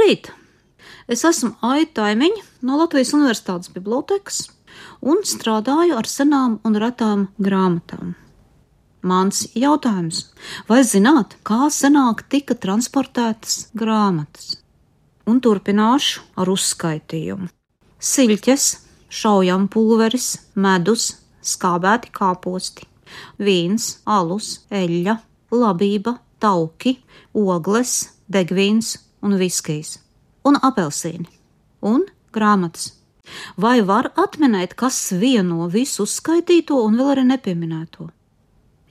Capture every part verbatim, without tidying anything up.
Labrīt! Es esmu Aita Taimiņa no Latvijas Universitātes bibliotekas un strādāju ar senām un retām grāmatām. Mans jautājums: vai zināt, kā senāk tika transportētas grāmatas? Un turpināšu ar uzskaitījumu. Siļķes, šaujam-pulveris, medus, skābēti kāposti, vīns, alus, eļļa, labība, tauki, ogles, degvīns un viskijs, un apelsīni, un grāmatas. Vai var atminēt, kas vieno visu uzskaitīto un vēl arī nepieminēto?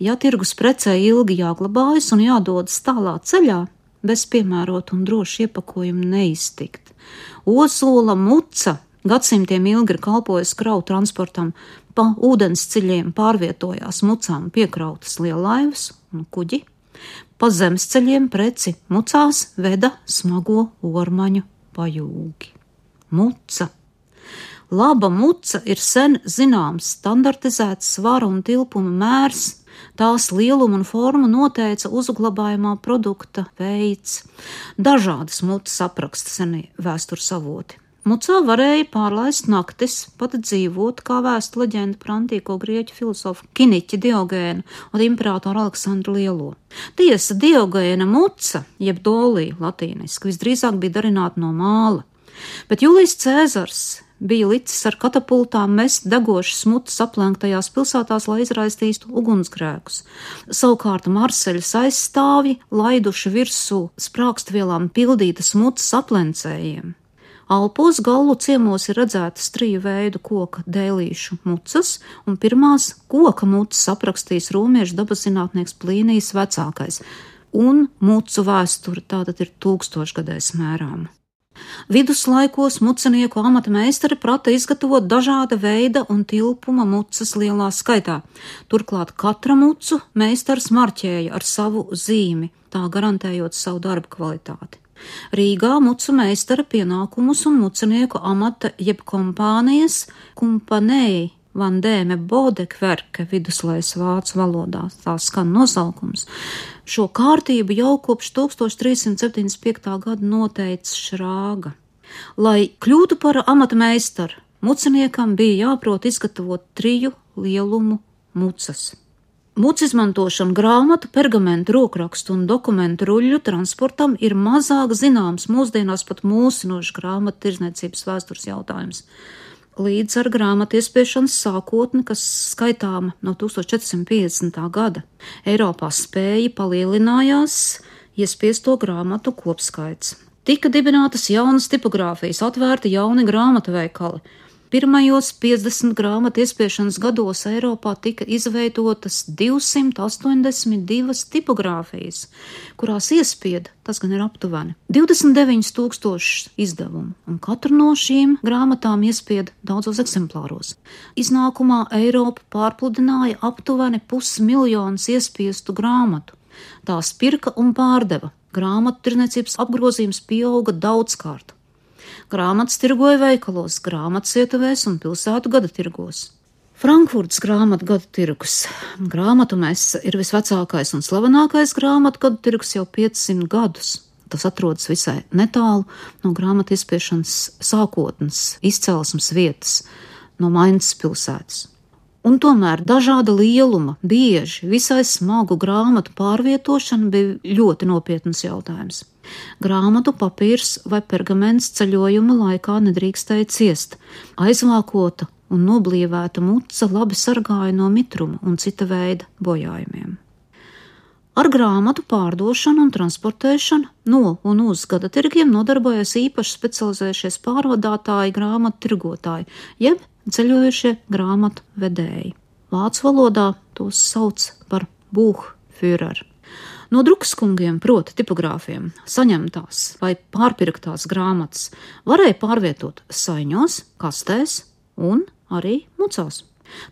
Ja tirgus precē ilgi jāglabājas un jādodas tālā ceļā, bez piemērota un droša iepakojuma neiztikt. Ozola muca gadsimtiem ilgi ir kalpojusi kravu transportam, pa ūdens ceļiem pārvietojās mucām piekrautas lielaivas un kuģi, pa zemes ceļiem preci mucās veda smago ormaņu pajūgi. Muca. Laba muca ir sen zināms standartizēts svara un tilpuma mērs, tās lielumu un formu noteica uzglabājumā produkta veids. Dažādas mucas apraksta senie vēstures avoti. Mucā varēja pārlaist naktis, pat dzīvot, kā vēsta leģenda par antīko grieķu filozofu Kiniķi Diogēnu un imperatoru Aleksandru Lielo. Tiesa, Diogēna muca, jeb dolī latīniski, visdrīzāk bija darināta no māla, bet Julijs Cēzars bija licis ar katapultām mest degošas mucas aplenktajās pilsētās, lai izraistītu ugunsgrēkus. Savukārt Marseļas aizstāvji laiduši virsū sprākstvielām pildītas mucas aplencējiem. Alpos Gallu ciemos ir redzētas triju veidu koka dēlīšu mucas, un pirmās koka mucas aprakstījis romiešu dabaszinātnieks Plīnijs vecākais, un mucu vēsture tātad ir tūkstošgadēs mērāma. Viduslaikos mucenieku amata meistari prata izgatavot dažāda veida un tilpuma mucas lielā skaitā. Turklāt katra mucu meistars marķēja ar savu zīmi, tā garantējot savu darba kvalitāti. Rīgā mucu meistara pienākumus un mucenieku amata jeb kompānijas kumpanēji Vandēme Bodekverke viduslaiks vācu valodā, tā skan nosaukums. Šo kārtību jau kopš tūkstoš trīs simts septiņdesmit piektā gada noteica Šrāga. Lai kļūtu par amata meistaru, muceniekam bija jāprot izgatavot triju lielumu mucas. Mucu izmantošana grāmatu, pergamentu, rokrakstu un dokumentu ruļļu transportam ir mazāk zināms mūsdienās pat mūsinošs grāmatu tirdzniecības vēstures jautājums. Līdz ar grāmatu iespiešanas sākotni, kas skaitāma no tūkstoš četri simti piecdesmitā gada, Eiropā spēja palielinājās iespiesto grāmatu kopskaits. Tika dibinātas jaunas tipogrāfijas, atvērti jauni grāmatveikali. Pirmajos piecdesmit grāmatu iespiešanas gados Eiropā tika izveidotas divsimt astoņdesmit divas tipogrāfijas, kurās iespieda, tas gan ir aptuveni, divdesmit deviņi tūkstoši izdevumu, un katru no šīm grāmatām iespieda daudzos eksemplāros. Iznākumā Eiropa pārpludināja aptuveni pusmiljonus iespiestu grāmatu. Tās pirka un pārdeva. Grāmatu tirdzniecības apgrozījums pieauga daudzkārt. Grāmatas tirgoja veikalos, grāmatas ietuvēs un pilsētu gada tirgos. Frankfurtas grāmatu gada tirgus. Grāmatu messe ir visvecākais un slavenākais grāmatu gada tirgus jau piecsimt gadus. Tas atrodas visai netālu no grāmatu izspiešanas sākotnes, izcelsmes vietas, no Mainzes pilsētas. Un tomēr dažāda lieluma, bieži visai smagu grāmatu pārvietošana bija ļoti nopietnas jautājums. Grāmatu papīrs vai pergaments ceļojuma laikā nedrīkstēja ciest. Aizvākota un noblīvēta muca labi sargāja no mitruma un cita veida bojājumiem. Ar grāmatu pārdošanu un transportēšanu no un uz gada tirgiem nodarbojas īpaši specializējušies pārvadātāji, grāmatu tirgotāji, jeb ceļojušie grāmatu vedēji. Vācu valodā tos sauc par Buchführer. No drukskungiem, proti tipogrāfiem, saņemtās vai pārpirktās grāmatas varēja pārvietot saiņos, kastēs un arī mucās.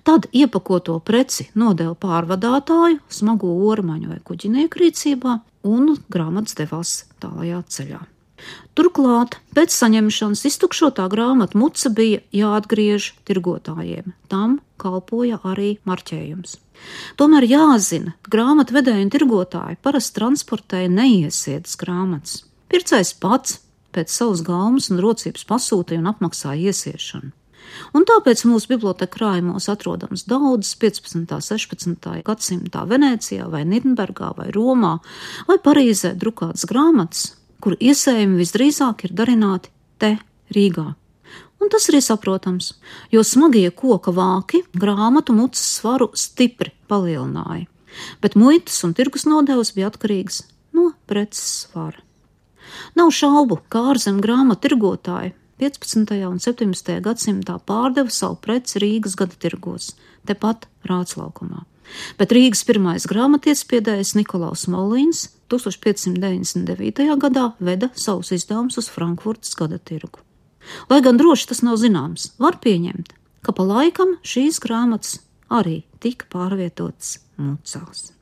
Tad iepakoto preci nodeva pārvadātāju, smago ormaņu vai kuģinieku rīcībā, un grāmatas devās tālajā ceļā. Turklāt, pēc saņemšanas iztukšotā grāmatu muca bija jāatgriež tirgotājiem. Tam kalpoja arī marķējums. Tomēr jāzina, ka grāmatvedēji un tirgotāji parasti transportēja neiesietas grāmatas. Pircējs pats pēc savas gaumas un rocības pasūtīja un apmaksāja iesiešanu. Un tāpēc mūsu biblioteka krājumos atrodams daudzas piecpadsmitā, sešpadsmitā gadsimtā Venēcijā vai Nirnbergā vai Romā vai Parīzē drukātas grāmatas, kuru iesējumi visdrīzāk ir darināti te Rīgā. Un tas arī saprotams, jo smagie koka vāki grāmatu mutes svaru stipri palielināja, bet muitas un tirgus nodevas bija atkarīgas no preces svara. Nav šaubu, ka ārzem grāmatu tirgotāji piecpadsmitajā un septiņpadsmitajā gadsimtā pārdeva savu preci Rīgas gada tirgos, tepat Rāclaukumā. Bet Rīgas pirmais grāmatiespēdējs Nikolaus Molīns tūkstoš piecsimt deviņdesmit devītajā gadā veda savus izdevumus uz Frankfurtas gada tirgu. Lai gan droši tas nav zināms, var pieņemt, ka pa laikam šīs grāmatas arī tika pārvietotas mucās.